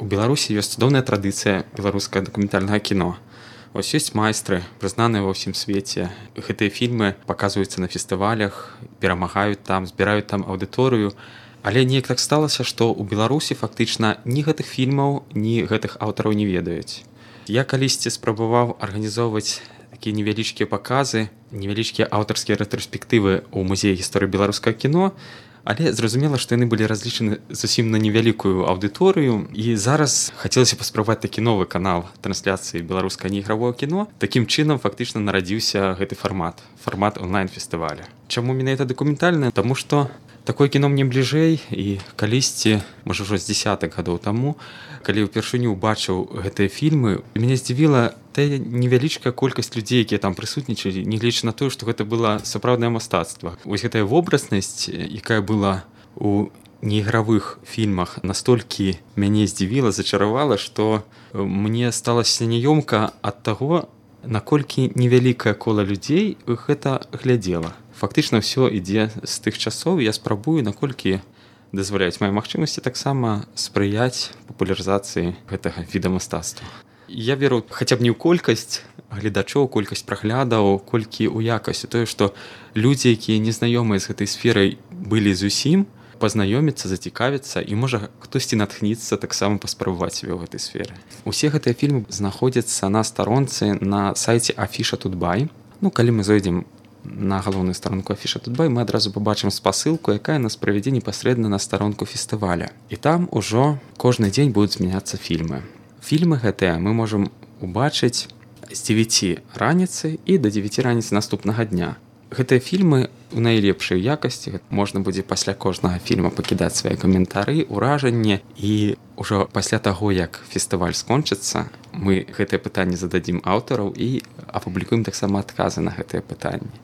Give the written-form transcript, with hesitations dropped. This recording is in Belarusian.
У Беларусі ёсць цудоўная традыцыя беларускага дакументальнага кіно. Вось ёсць майстры, прызнаныя ва ўсім свеце. Гэтыя фільмы паказваюцца на фестывалях, перамагаюць там, збіраюць там аўдыторыю. Але неяк так сталася, што ў Беларусі фактычна ні гэтых фільмаў, ні гэтых аўтараў не ведаюць. Я калісьці спрабаваў арганізоўваць такія невялічкія паказы, невялічкія аўтарскія рэтраспектывы ў музеі гісторыі беларускага кіно, але зразумела, што яны былі разлічаны зусім на невялікую аўдыторыю. І зараз хацелася паспрабаваць такі новы канал трансляцыі беларускага неігравого кіно. Такім чынам фактычна нарадзіўся гэты фармат онлайн-фестываля. Чаму менавіта дакументальнае? Таму што такое кіно мне бліжэй, і калісьці, можа ўжо з дзясятак гадоў таму, калі ўпершыню убачыў гэтыя фільмы, мяне здзівіла тая невялічкая колькасць людзей, якія там прысутнічалі, нягледзячы на тое, што гэта было сапраўднае мастацтва. Вось гэтая вобразнасць, якая была у неігравых фільмах, настолькі мяне здзівіла, зачаравала, што мне стала няёмка ад таго, наколькі невялікае кола людзей гэта глядзела. Фактычна ўсё ідзе з тых часоў. Я спрабую, наколькі дазваляюць мае магчымасці, таксама спрыяць папулярызацыі гэтага віда мастацтва. Я веру хаця б не ў колькасць гледачоў, колькасць праглядаў, колькі ў якасць. Тое, што людзі, якія незнаёмыя з гэтай сферай былі зусім, пазнаёміцца, зацікавіцца, і можа хтосьці натхніцца таксама паспрабаваць сябе ў гэтай сферы. Усе гэтыя фільмы знаходзяцца на старонцы на сайце Afisha.Tutbay. Калі мы зойдзем на галоўную старонку Afisha.Tutbay, мы адразу пабачым спасылку, якая нас правядзе непасрэдна на старонку фестываля. І там ужо кожны дзень будуць змяняцца фільмы. Фільмы гэтыя мы можам убачыць з 9 раніцы і да 9 раніцы наступнага дня. Гэтыя фільмы у найлепшай якасці. Можна будзе пасля кожнага фільма пакідаць свае каментары, уражанні, і ўжо пасля таго, як фестываль скончыцца, мы гэтыя пытанні зададзім аўтараў і апублікуем таксама адказы на гэтыя пытанні.